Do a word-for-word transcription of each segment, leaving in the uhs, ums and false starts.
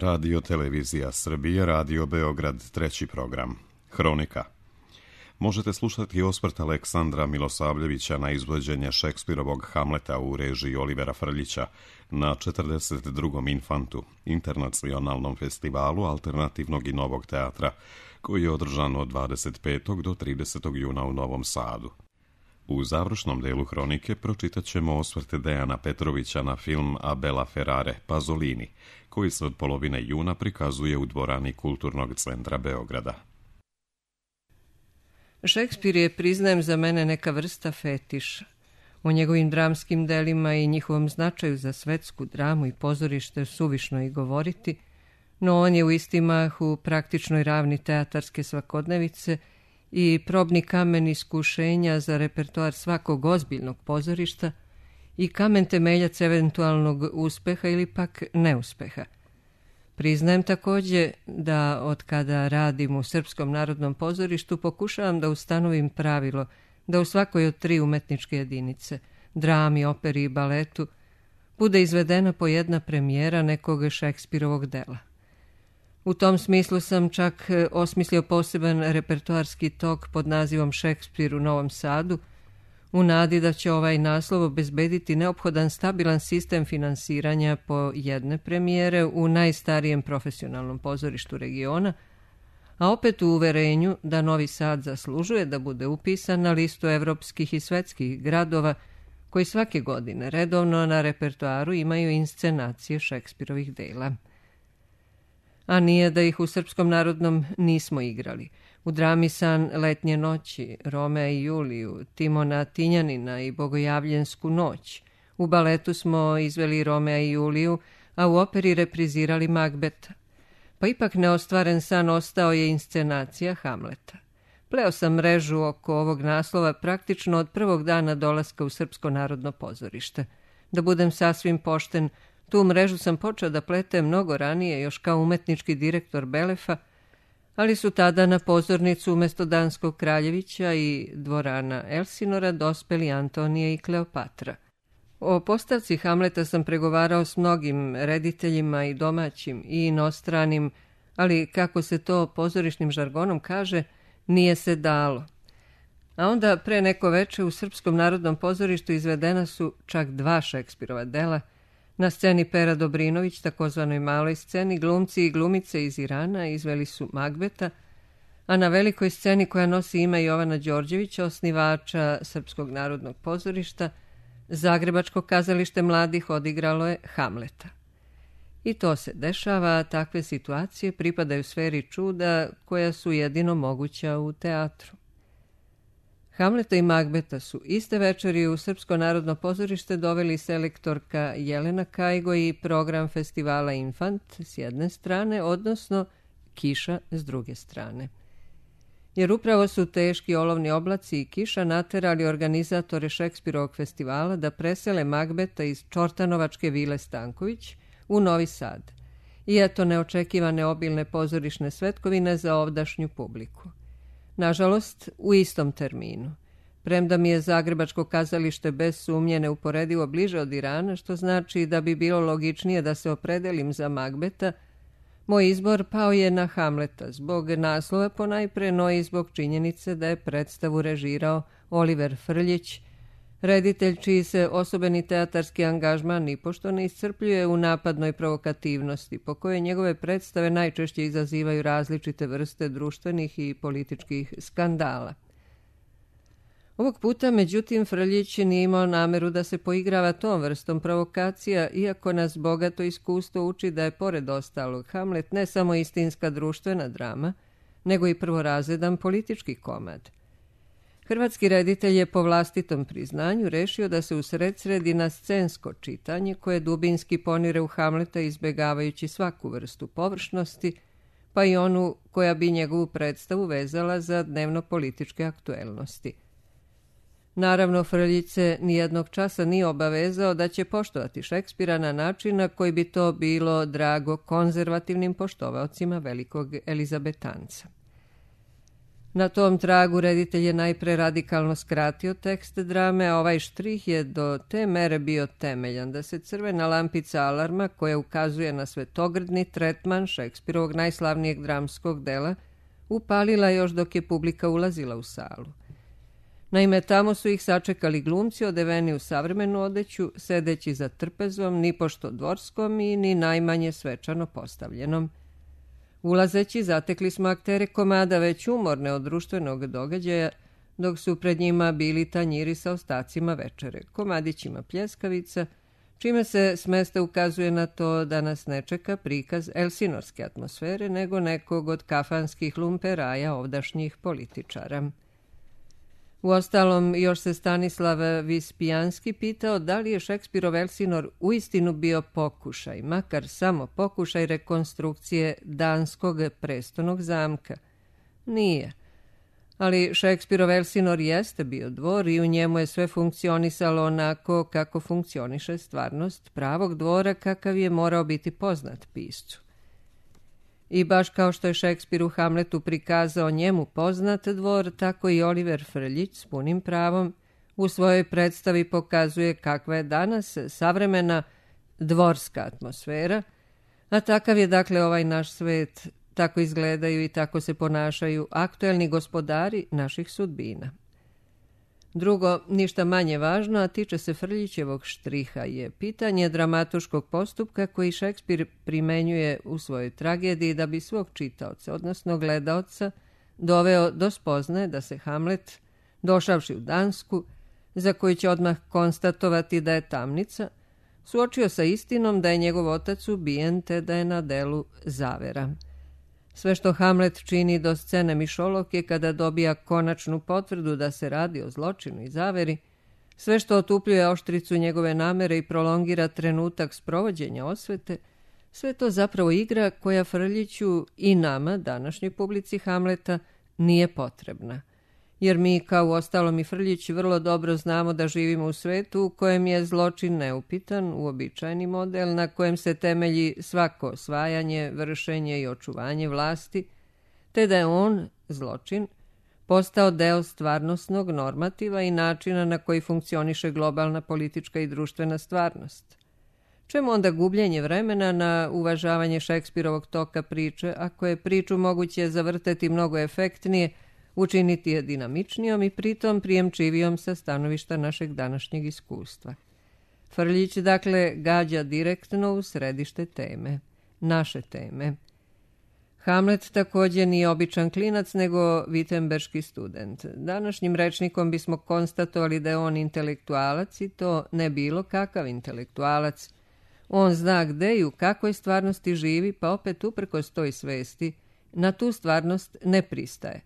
Radio Televizija Srbije, Radio Beograd, treći program. Hronika. Možete slušati osvrt Aleksandra Milosavljevića na izvođenje Šekspirovog Hamleta u režiji Olivera Frljića na četrdeset drugom Infantu, internacionalnom festivalu alternativnog i novog teatra, koji je održan od dvadeset petog do tridesetog juna u Novom Sadu. U završnom delu hronike pročitat ćemo osvrte Dejana Petrovića na film Abela Ferrare, Pazolini, koji se od polovine juna prikazuje u dvorani Kulturnog centra Beograda. Šekspir je, priznajem, za mene neka vrsta fetiša. O njegovim dramskim delima i njihovom značaju za svetsku dramu i pozorište suvišno i govoriti, no on je u isti mah u praktičnoj ravni teatarske svakodnevice i probni kamen iskušenja za repertoar svakog ozbiljnog pozorišta i kamen temeljac eventualnog uspeha ili pak neuspeha. Priznajem također da od kada radim u Srpskom narodnom pozorištu pokušavam da ustanovim pravilo da u svakoj od tri umetničke jedinice, drami, operi i baletu, bude izvedena po jedna premijera nekog Šekspirovog dela. U tom smislu sam čak osmislio poseban repertoarski tok pod nazivom Šekspir u Novom Sadu, u nadi da će ovaj naslov obezbediti neophodan stabilan sistem finansiranja po jedne premijere u najstarijem profesionalnom pozorištu regiona, a opet u uverenju da Novi Sad zaslužuje da bude upisan na listu evropskih i svetskih gradova koji svake godine redovno na repertoaru imaju inscenacije Šekspirovih dela. A nije da ih u Srpskom narodnom nismo igrali. U drami San letnje noći, Romea i Juliju, Timona Tinjanina i Bogojavljensku noć. U baletu smo izveli Romea i Juliju, a u operi reprizirali Magbeta. Pa ipak neostvaren san ostao je inscenacija Hamleta. Pleo sam mrežu oko ovog naslova praktično od prvog dana dolaska u Srpsko narodno pozorište. Da budem sasvim pošten, tu mrežu sam počeo da pletem mnogo ranije, još kao umetnički direktor Belefa, ali su tada na pozornicu umjesto Danskog Kraljevića i dvorana Elsinora dospeli Antonija i Kleopatra. O postavci Hamleta sam pregovarao s mnogim rediteljima i domaćim i inostranim, ali kako se to pozorišnim žargonom kaže, nije se dalo. A onda pre neko veče u Srpskom narodnom pozorištu izvedena su čak dva Šekspirova dela. Na sceni Pera Dobrinović, takozvanoj maloj sceni, glumci i glumice iz Irana izveli su Magbeta, a na velikoj sceni koja nosi ime Jovana Đorđevića, osnivača Srpskog narodnog pozorišta, Zagrebačko kazalište mladih odigralo je Hamleta. I to se dešava, takve situacije pripadaju sferi čuda koja su jedino moguća u teatru. Hamleta i Magbeta su iste večeri u Srpsko narodno pozorište doveli selektorka Jelena Kajgo i program festivala Infant s jedne strane, odnosno Kiša s druge strane. Jer upravo su teški olovni oblaci i kiša naterali organizatore Šekspirovog festivala da presele Magbeta iz Čortanovačke vile Stanković u Novi Sad. I eto neočekivane obilne pozorišne svetkovine za ovdašnju publiku. Nažalost, u istom terminu. Premda mi je Zagrebačko kazalište bez sumnje neuporedivo bliže od Irana, što znači da bi bilo logičnije da se opredelim za Magbeta, moj izbor pao je na Hamleta, zbog naslova ponajpre, no i zbog činjenice da je predstavu režirao Oliver Frljić, reditelj čiji se osobeni teatarski angažman nipošto ne iscrpljuje u napadnoj provokativnosti, po kojoj njegove predstave najčešće izazivaju različite vrste društvenih i političkih skandala. Ovog puta, međutim, Frljić nije imao nameru da se poigrava tom vrstom provokacija, iako nas bogato iskustvo uči da je, pored ostalog, Hamlet ne samo istinska društvena drama, nego i prvorazredan politički komad. Hrvatski reditelj je po vlastitom priznanju rešio da se usred sredi na scensko čitanje koje dubinski ponire u Hamleta izbegavajući svaku vrstu površnosti, pa i onu koja bi njegovu predstavu vezala za dnevno-političke aktuelnosti. Naravno, Frljić se nijednog časa nije obavezao da će poštovati Šekspira na način na koji bi to bilo drago konzervativnim poštovaocima velikog Elizabetanca. Na tom tragu reditelj je najpre radikalno skratio tekst drame, a ovaj štrih je do te mere bio temeljan da se crvena lampica alarma, koja ukazuje na svetogrdni tretman Šekspirovog najslavnijeg dramskog dela, upalila još dok je publika ulazila u salu. Naime, tamo su ih sačekali glumci odeveni u savremenu odeću, sedeći za trpezom, ni pošto dvorskom i ni najmanje svečano postavljenom. Ulazeći, zatekli smo aktere komada već umorne od društvenog događaja, dok su pred njima bili tanjiri sa ostacima večere, komadićima pljeskavica, čime se s mesta ukazuje na to da nas ne čeka prikaz elsinorske atmosfere, nego nekog od kafanskih lumperaja ovdašnjih političara. Uostalom, još se Stanislav Vispijanski pitao da li je Šekspirov Elsinor uistinu bio pokušaj, makar samo pokušaj rekonstrukcije danskog prestonog zamka. Nije. Ali Šekspirov Elsinor jeste bio dvor i u njemu je sve funkcionisalo onako kako funkcioniše stvarnost pravog dvora kakav je morao biti poznat piscu. I baš kao što je Šekspir u Hamletu prikazao njemu poznat dvor, tako i Oliver Frljić s punim pravom u svojoj predstavi pokazuje kakva je danas savremena dvorska atmosfera, a takav je dakle ovaj naš svet, tako izgledaju i tako se ponašaju aktuelni gospodari naših sudbina. Drugo, ništa manje važno, a tiče se Frljićevog štriha, je pitanje dramatuškog postupka koji Šekspir primenjuje u svojoj tragediji da bi svog čitaoca, odnosno gledaoca, doveo do spoznaje da se Hamlet, došavši u Dansku, za koju će odmah konstatovati da je tamnica, suočio sa istinom da je njegov otac ubijen te da je na delu zavera. Sve što Hamlet čini do scene mišolovke kada dobija konačnu potvrdu da se radi o zločinu i zaveri, sve što otupljuje oštricu njegove namere i prolongira trenutak sprovođenja osvete, sve to zapravo igra koja Frljiću i nama, današnjoj publici Hamleta, nije potrebna. Jer mi, kao uostalom i Frljić, vrlo dobro znamo da živimo u svetu u kojem je zločin neupitan, uobičajeni model na kojem se temelji svako osvajanje, vršenje i očuvanje vlasti, te da je on, zločin, postao deo stvarnosnog normativa i načina na koji funkcioniše globalna politička i društvena stvarnost. Čemu onda gubljenje vremena na uvažavanje Šekspirovog toka priče, ako je priču moguće zavrteti mnogo efektnije, učiniti je dinamičnijom i pritom prijemčivijom sa stanovišta našeg današnjeg iskustva. Frljić, dakle, gađa direktno u središte teme, naše teme. Hamlet također nije običan klinac, nego vitemberški student. Današnjim rečnikom bismo konstatovali da je on intelektualac i to ne bilo kakav intelektualac. On zna gde i u kakvoj stvarnosti živi, pa opet uprkos toj svesti na tu stvarnost ne pristaje.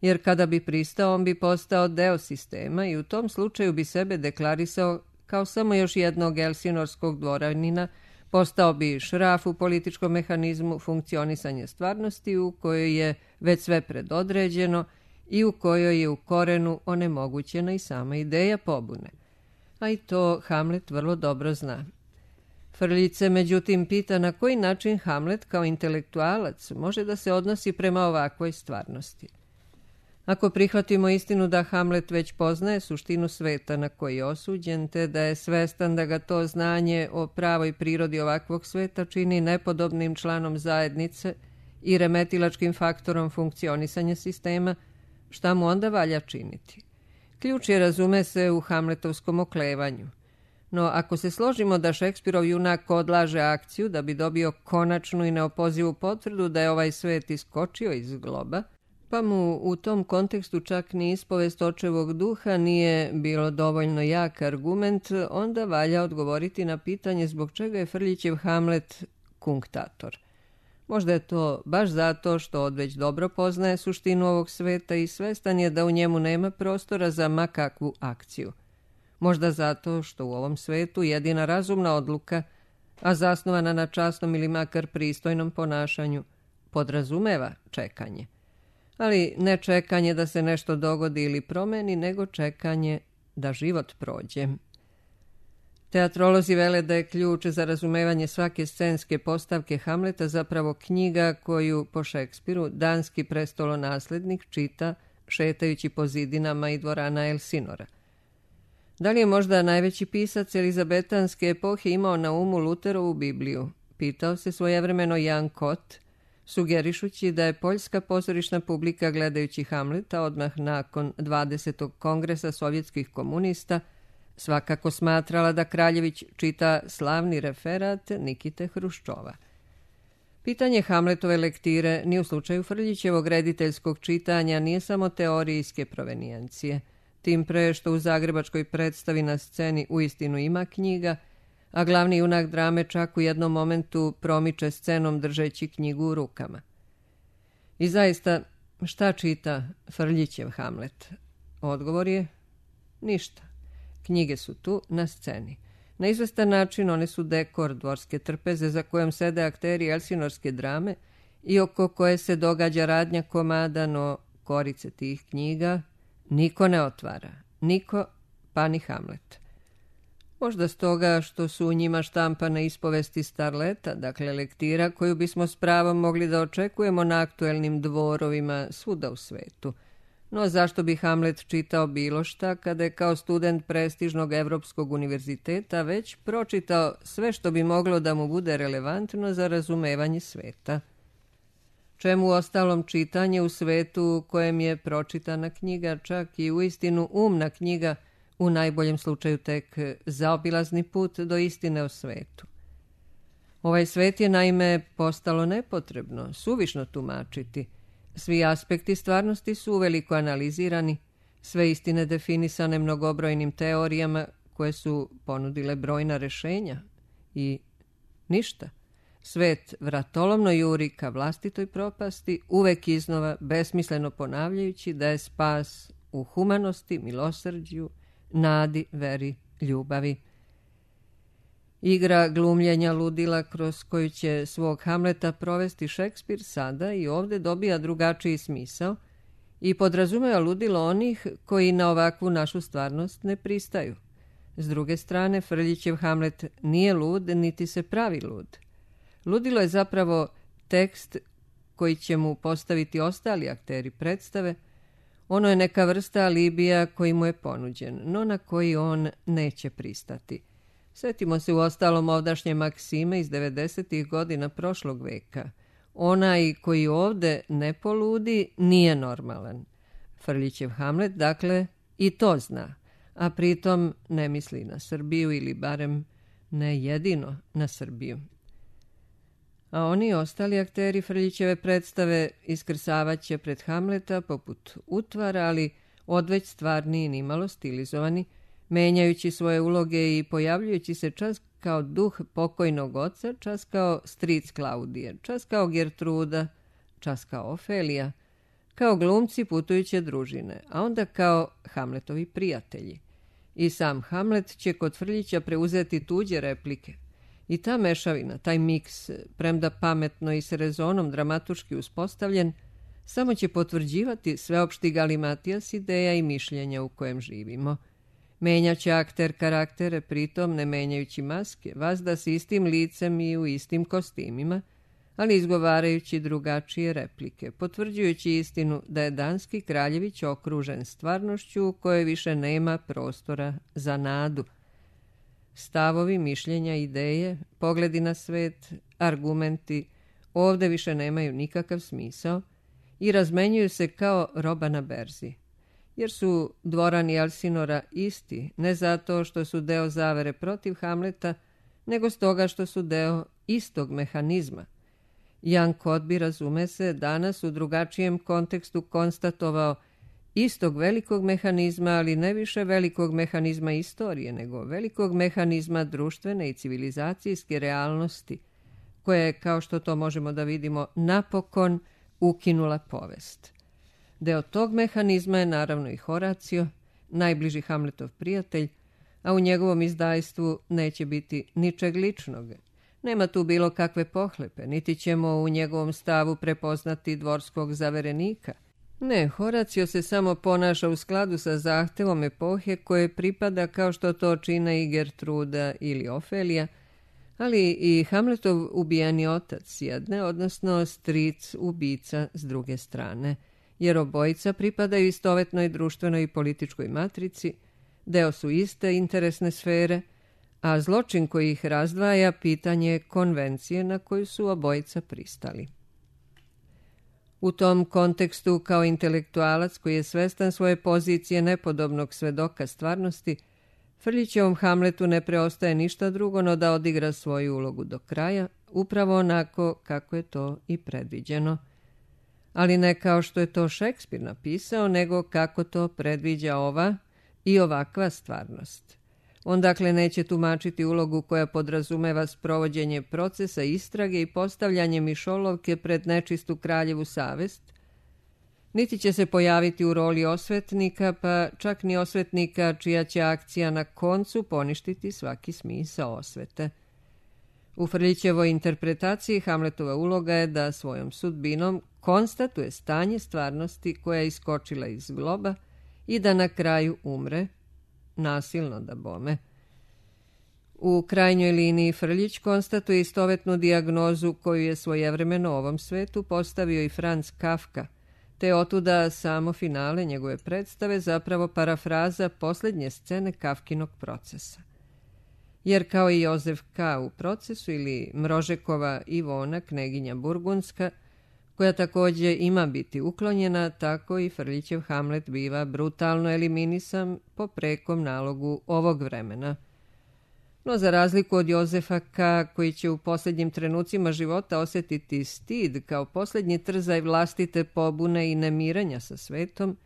Jer kada bi pristao, on bi postao deo sistema i u tom slučaju bi sebe deklarisao kao samo još jednog elsinorskog dvoranina, postao bi šraf u političkom mehanizmu funkcionisanja stvarnosti u kojoj je već sve predodređeno i u kojoj je u korenu onemogućena i sama ideja pobune. A i to Hamlet vrlo dobro zna. Frljić se međutim pita na koji način Hamlet kao intelektualac može da se odnosi prema ovakvoj stvarnosti. Ako prihvatimo istinu da Hamlet već poznaje suštinu sveta na koji je osuđen, te da je svestan da ga to znanje o pravoj prirodi ovakvog sveta čini nepodobnim članom zajednice i remetilačkim faktorom funkcionisanja sistema, šta mu onda valja činiti? Ključ je, razume se, u hamletovskom oklevanju. No, ako se složimo da Šekspirov junak odlaže akciju da bi dobio konačnu i neopozivu potvrdu da je ovaj svet iskočio iz globa, pa mu u tom kontekstu čak ni ispovest očevog duha nije bilo dovoljno jak argument, onda valja odgovoriti na pitanje zbog čega je Frljićev Hamlet kunktator. Možda je to baš zato što odveć dobro poznaje suštinu ovog sveta i svestan je da u njemu nema prostora za makakvu akciju. Možda zato što u ovom svetu jedina razumna odluka, a zasnovana na časnom ili makar pristojnom ponašanju, podrazumeva čekanje. Ali ne čekanje da se nešto dogodi ili promeni, nego čekanje da život prođe. Teatrolozi vele da je ključ za razumevanje svake scenske postavke Hamleta zapravo knjiga koju po Šekspiru danski prestolonaslednik čita šetajući po zidinama i dvorana Elsinora. Da li je možda najveći pisac elizabetanske epohe imao na umu Luterovu Bibliju? Pitao se svojevremeno Jan Kot, sugerišući da je poljska pozorišna publika gledajući Hamleta odmah nakon dvadesetog kongresa sovjetskih komunista svakako smatrala da Kraljević čita slavni referat Nikite Hruščova. Pitanje Hamletove lektire ni u slučaju Frljićevog rediteljskog čitanja nije samo teorijske provenijencije, tim pre što u zagrebačkoj predstavi na sceni uistinu ima knjiga, a glavni junak drame čak u jednom momentu promiče scenom držeći knjigu u rukama. I zaista, šta čita Frljićev Hamlet? Odgovor je ništa. Knjige su tu na sceni. Na izvestan način one su dekor dvorske trpeze za kojom sede akteri elsinorske drame i oko koje se događa radnja komada, no korice tih knjiga niko ne otvara. Niko, pa ni Hamlet. Možda stoga što su u njima štampane ispovesti starleta, dakle lektira koju bismo s pravom mogli da očekujemo na aktuelnim dvorovima svuda u svetu. No zašto bi Hamlet čitao bilo šta kada je kao student prestižnog Evropskog univerziteta već pročitao sve što bi moglo da mu bude relevantno za razumevanje sveta? Čemu ostalom čitanje u svetu u kojem je pročitana knjiga, čak i uistinu umna knjiga, u najboljem slučaju tek zaobilazni put do istine o svetu? Ovaj svet je naime postalo nepotrebno, suvišno tumačiti. Svi aspekti stvarnosti su uveliko analizirani, sve istine definisane mnogobrojnim teorijama koje su ponudile brojna rešenja i ništa. Svet vratolomno juri ka vlastitoj propasti, uvek iznova besmisleno ponavljajući da je spas u humanosti, milosrđu, nadi, veri, ljubavi. Igra glumljenja ludila kroz koju će svog Hamleta provesti Šekspir sada i ovde dobija drugačiji smisao i podrazumeva ludilo onih koji na ovakvu našu stvarnost ne pristaju. S druge strane, Frljićev Hamlet nije lud, niti se pravi lud. Ludilo je zapravo tekst koji će mu postaviti ostali akteri predstave. Ono je neka vrsta alibija koji mu je ponuđen, no na koji on neće pristati. Sjetimo se u ostalom ovdašnje maksime iz devedesetih godina prošlog veka. Onaj koji ovde ne poludi nije normalan. Frljićev Hamlet, dakle, i to zna, a pritom ne misli na Srbiju ili barem ne jedino na Srbiju. A oni ostali akteri Frljićeve predstave iskrasavaće pred Hamleta poput utvara, ali odveć stvarni i nimalo stilizovani, menjajući svoje uloge i pojavljujući se čas kao duh pokojnog oca, čas kao stric Klaudije, čas kao Gertruda, čas kao Ofelija, kao glumci putujuće družine, a onda kao Hamletovi prijatelji. I sam Hamlet će kod Frljića preuzeti tuđe replike. I ta mešavina, taj miks, premda pametno i s rezonom dramatuški uspostavljen, samo će potvrđivati sveopšti galimatijas ideja i mišljenja u kojem živimo. Menjaće akter karaktere, pritom ne menjajući maske, vazda s istim licem i u istim kostimima, ali izgovarajući drugačije replike, potvrđujući istinu da je danski Kraljević okružen stvarnošću u kojoj više nema prostora za nadu. Stavovi, mišljenja, ideje, pogledi na svet, argumenti ovde više nemaju nikakav smisao i razmenjuju se kao roba na berzi. Jer su dvorani Elsinora isti, ne zato što su deo zavere protiv Hamleta, nego stoga što su deo istog mehanizma. Jan Kotbi, razume se, danas u drugačijem kontekstu konstatovao istog velikog mehanizma, ali ne više velikog mehanizma istorije, nego velikog mehanizma društvene i civilizacijske realnosti, koja je, kao što to možemo da vidimo, napokon ukinula povest. Deo tog mehanizma je naravno i Horacio, najbliži Hamletov prijatelj, a u njegovom izdajstvu neće biti ničeg ličnog. Nema tu bilo kakve pohlepe, niti ćemo u njegovom stavu prepoznati dvorskog zaverenika. Ne, Horacio se samo ponaša u skladu sa zahtevom epohe koje pripada kao što to čine i Gertruda ili Ofelija, ali i Hamletov ubijeni otac s jedne, odnosno stric ubica s druge strane, jer obojica pripadaju istovetnoj društvenoj i političkoj matrici, deo su iste interesne sfere, a zločin koji ih razdvaja pitanje je konvencije na koju su obojica pristali. U tom kontekstu, kao intelektualac koji je svestan svoje pozicije nepodobnog svedoka stvarnosti, Frljićevom Hamletu ne preostaje ništa drugo no da odigra svoju ulogu do kraja, upravo onako kako je to i predviđeno. Ali ne kao što je to Šekspir napisao, nego kako to predviđa ova i ovakva stvarnost. On dakle neće tumačiti ulogu koja podrazumeva sprovođenje procesa istrage i postavljanje mišolovke pred nečistu kraljevu savest, niti će se pojaviti u roli osvetnika, pa čak ni osvetnika čija će akcija na koncu poništiti svaki smisao osvete. U Frljićevoj interpretaciji Hamletova uloga je da svojom sudbinom konstatuje stanje stvarnosti koja je iskočila iz globa i da na kraju umre, nasilno da bome. U krajnjoj liniji Frljić konstatuje istovetnu dijagnozu koju je svojevremeno ovom svetu postavio i Franz Kafka, te otuda samo finale njegove predstave zapravo parafraza posljednje scene Kafkinog procesa. Jer kao i Jozef K. u procesu ili Mrožekova Ivona, kneginja Burgundska, koja također ima biti uklonjena, tako i Frljićev Hamlet biva brutalno eliminisan po prekom nalogu ovog vremena. No za razliku od Jozefa K., koji će u posljednjim trenucima života osjetiti stid kao posljednji trzaj vlastite pobune i nemiranja sa svetom,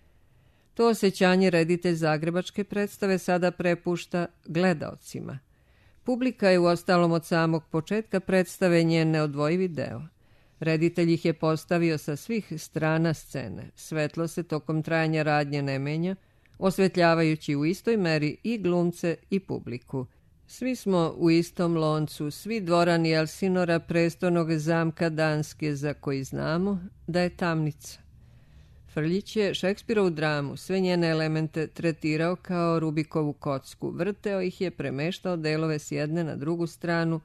to osjećanje reditelj zagrebačke predstave sada prepušta gledaocima. Publika je uostalom od samog početka predstave njen neodvojivi deo. Reditelj ih je postavio sa svih strana scene. Svetlo se tokom trajanja radnje ne menja, osvetljavajući u istoj meri i glumce i publiku. Svi smo u istom loncu, svi dvorani Elsinora, prestolnog zamka Danske, za koji znamo da je tamnica. Frljić je Šekspirovu dramu, sve njene elemente tretirao kao Rubikovu kocku, vrteo ih je, premeštao delove s jedne na drugu stranu,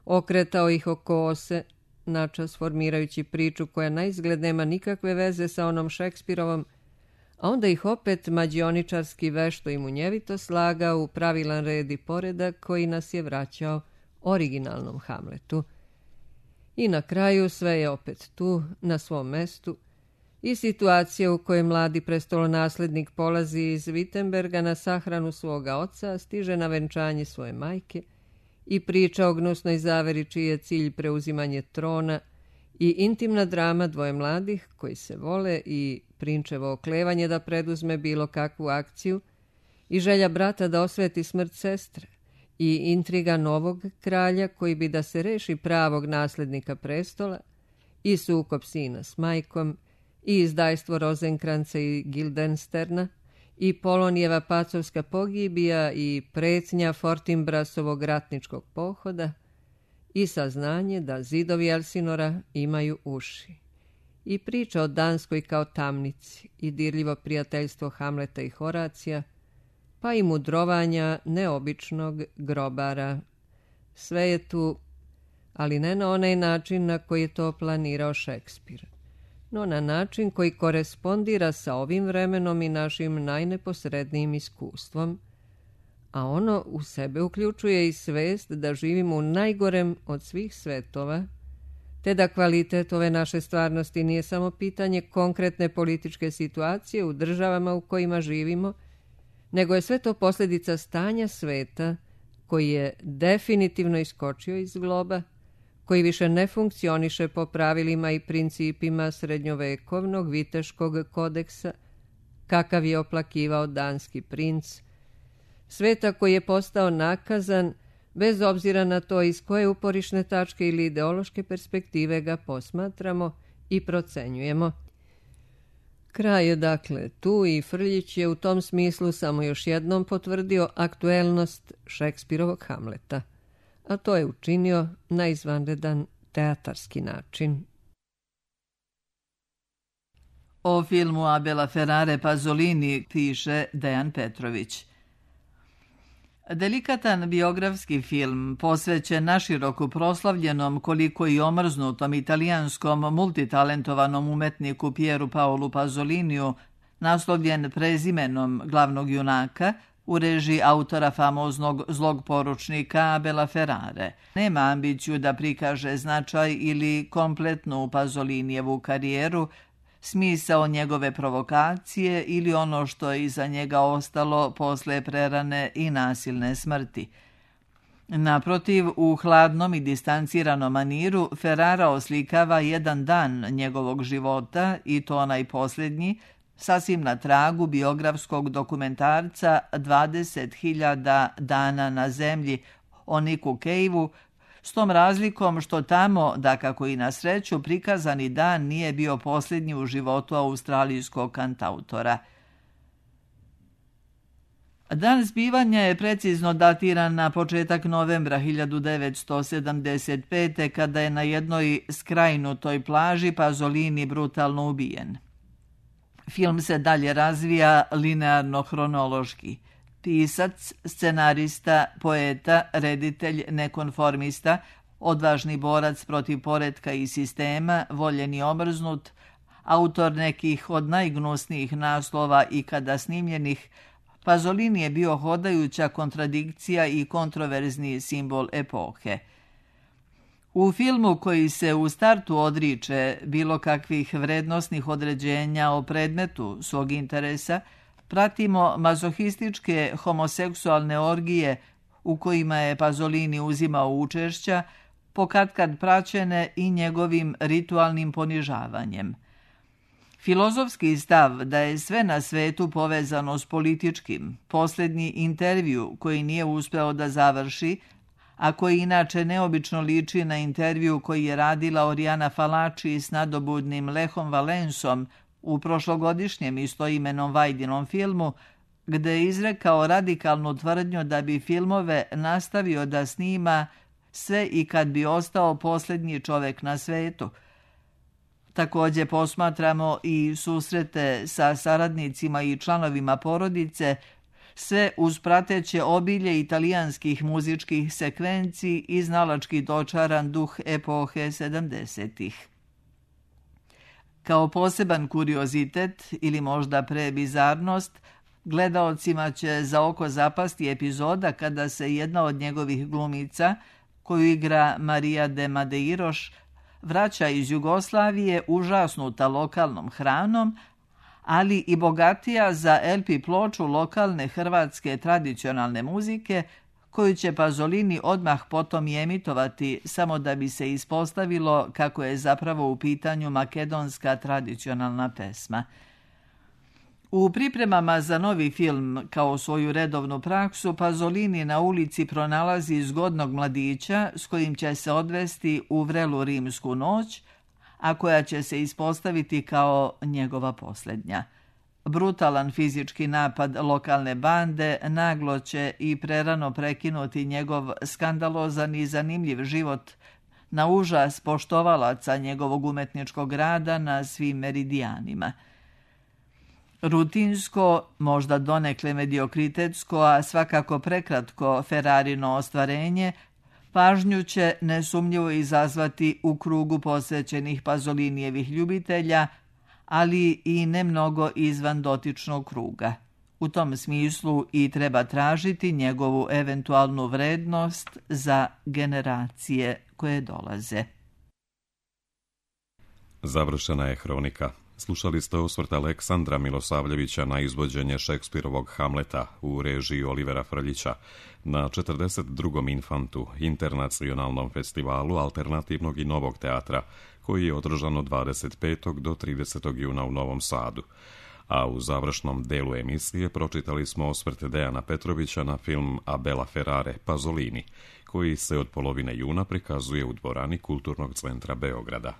okretao ih oko ose, načas formirajući priču koja naizgled nema nikakve veze sa onom Šekspirovom, a onda ih opet mađioničarski vešto i munjevito slagao u pravilan red i poredak koji nas je vraćao originalnom Hamletu. I na kraju sve je opet tu, na svom mestu, i situacija u kojoj mladi prestolonaslednik polazi iz Wittenberga na sahranu svoga oca, stiže na venčanje svoje majke, i priča o gnusnoj zaveri čiji je cilj preuzimanje trona, i intimna drama dvoje mladih koji se vole i prinčevo oklevanje da preduzme bilo kakvu akciju, i želja brata da osveti smrt sestre, i intriga novog kralja koji bi da se reši pravog naslednika prestola, i sukob sina s majkom, i izdajstvo Rozenkranca i Gildensterna, i Polonijeva pacovska pogibija i pretnja Fortinbrasovog ratničkog pohoda, i saznanje da zidovi Elsinora imaju uši, i priča o Danskoj kao tamnici, i dirljivo prijateljstvo Hamleta i Horacija, pa i mudrovanja neobičnog grobara. Sve je tu, ali ne na onaj način na koji je to planirao Šekspir, no na način koji korespondira sa ovim vremenom i našim najneposrednijim iskustvom, a ono u sebe uključuje i svest da živimo u najgorem od svih svetova, te da kvalitet ove naše stvarnosti nije samo pitanje konkretne političke situacije u državama u kojima živimo, nego je sve to posljedica stanja sveta koji je definitivno iskočio iz globa, koji više ne funkcioniše po pravilima i principima srednjovekovnog viteškog kodeksa, kakav je oplakivao danski princ, sveta koji je postao nakazan bez obzira na to iz koje uporišne tačke ili ideološke perspektive ga posmatramo i procenjujemo. Kraj je dakle tu i Frljić je u tom smislu samo još jednom potvrdio aktuelnost Šekspirovog Hamleta, a to je učinio na izvanredan teatarski način. O filmu Abela Ferrare Pasolini piše Dejan Petrović. Delikatan biografski film posvećen naširoko proslavljenom koliko i omrznutom italijanskom multitalentovanom umetniku Pieru Paolu Pasoliniju, naslovljen prezimenom glavnog junaka, u režiji autora famoznog zlog poručnika Abela Ferrare. Nema ambiciju da prikaže značaj ili kompletnu Pasolinijevu karijeru, smisao njegove provokacije ili ono što je iza njega ostalo posle prerane i nasilne smrti. Naprotiv, u hladnom i distanciranom maniru Ferrara oslikava jedan dan njegovog života, i to onaj posljednji, sasvim na tragu biografskog dokumentarca dvadeset hiljada dana na zemlji o Niku Caveu, s tom razlikom što tamo, dakako i na sreću, prikazani dan nije bio posljednji u životu australijskog kantautora. Dan zbivanja je precizno datiran na početak novembra hiljadu devetsto sedamdeset pete. kada je na jednoj skrajnutoj plaži Pasolini brutalno ubijen. Film se dalje razvija linearno-hronološki. Pisac, scenarista, poeta, reditelj, nekonformista, odvažni borac protiv poretka i sistema, voljen i omrznut, autor nekih od najgnusnijih naslova ikada snimljenih, Pasolini je bio hodajuća kontradikcija i kontroverzni simbol epohe. U filmu koji se u startu odriče bilo kakvih vrednosnih određenja o predmetu svog interesa, pratimo mazohističke homoseksualne orgije u kojima je Pasolini uzimao učešća, pokatkad praćene i njegovim ritualnim ponižavanjem. Filozofski stav da je sve na svetu povezano s političkim, posljednji intervju koji nije uspeo da završi, a koji inače neobično liči na intervju koji je radila Oriana Fallaci s nadobudnim Lechom Valensom u prošlogodišnjem istoimenom Vajdinom filmu, gde je izrekao radikalnu tvrdnju da bi filmove nastavio da snima sve i kad bi ostao posljednji čovek na svetu. Također posmatramo i susrete sa saradnicima i članovima porodice, sve uz prateće obilje italijanskih muzičkih sekvenci i znalački dočaran duh epohe sedamdesetih. Kao poseban kuriozitet ili možda prebizarnost, gledaocima će za oko zapasti epizoda kada se jedna od njegovih glumica, koju igra Marija de Madeiros, vraća iz Jugoslavije užasnuta lokalnom hranom, ali i bogatija za el pe ploču lokalne hrvatske tradicionalne muzike, koju će Pasolini odmah potom i emitovati, samo da bi se ispostavilo kako je zapravo u pitanju makedonska tradicionalna pesma. U pripremama za novi film, kao svoju redovnu praksu, Pasolini na ulici pronalazi zgodnog mladića s kojim će se odvesti u vrelu rimsku noć, a koja će se ispostaviti kao njegova posljednja. Brutalan fizički napad lokalne bande naglo će i prerano prekinuti njegov skandalozan i zanimljiv život, na užas poštovalaca njegovog umetničkog rada na svim meridijanima. Rutinsko, možda donekle mediokritetsko, a svakako prekratko Ferrarino ostvarenje, pažnju će nesumnjivo izazvati u krugu posvećenih Pasolinijevih ljubitelja, ali i nemnogo izvan dotičnog kruga. U tom smislu i treba tražiti njegovu eventualnu vrednost za generacije koje dolaze. Završena je hronika. Slušali ste osvrt Aleksandra Milosavljevića na izvođenje Šekspirovog Hamleta u režiji Olivera Frljića na četrdeset drugom Infantu, internacionalnom festivalu alternativnog i novog teatra, koji je održan od dvadeset petog do tridesetog juna u Novom Sadu. A u završnom delu emisije pročitali smo osvrt Dejana Petrovića na film Abela Ferrare Pasolini, koji se od polovine juna prikazuje u dvorani Kulturnog centra Beograda.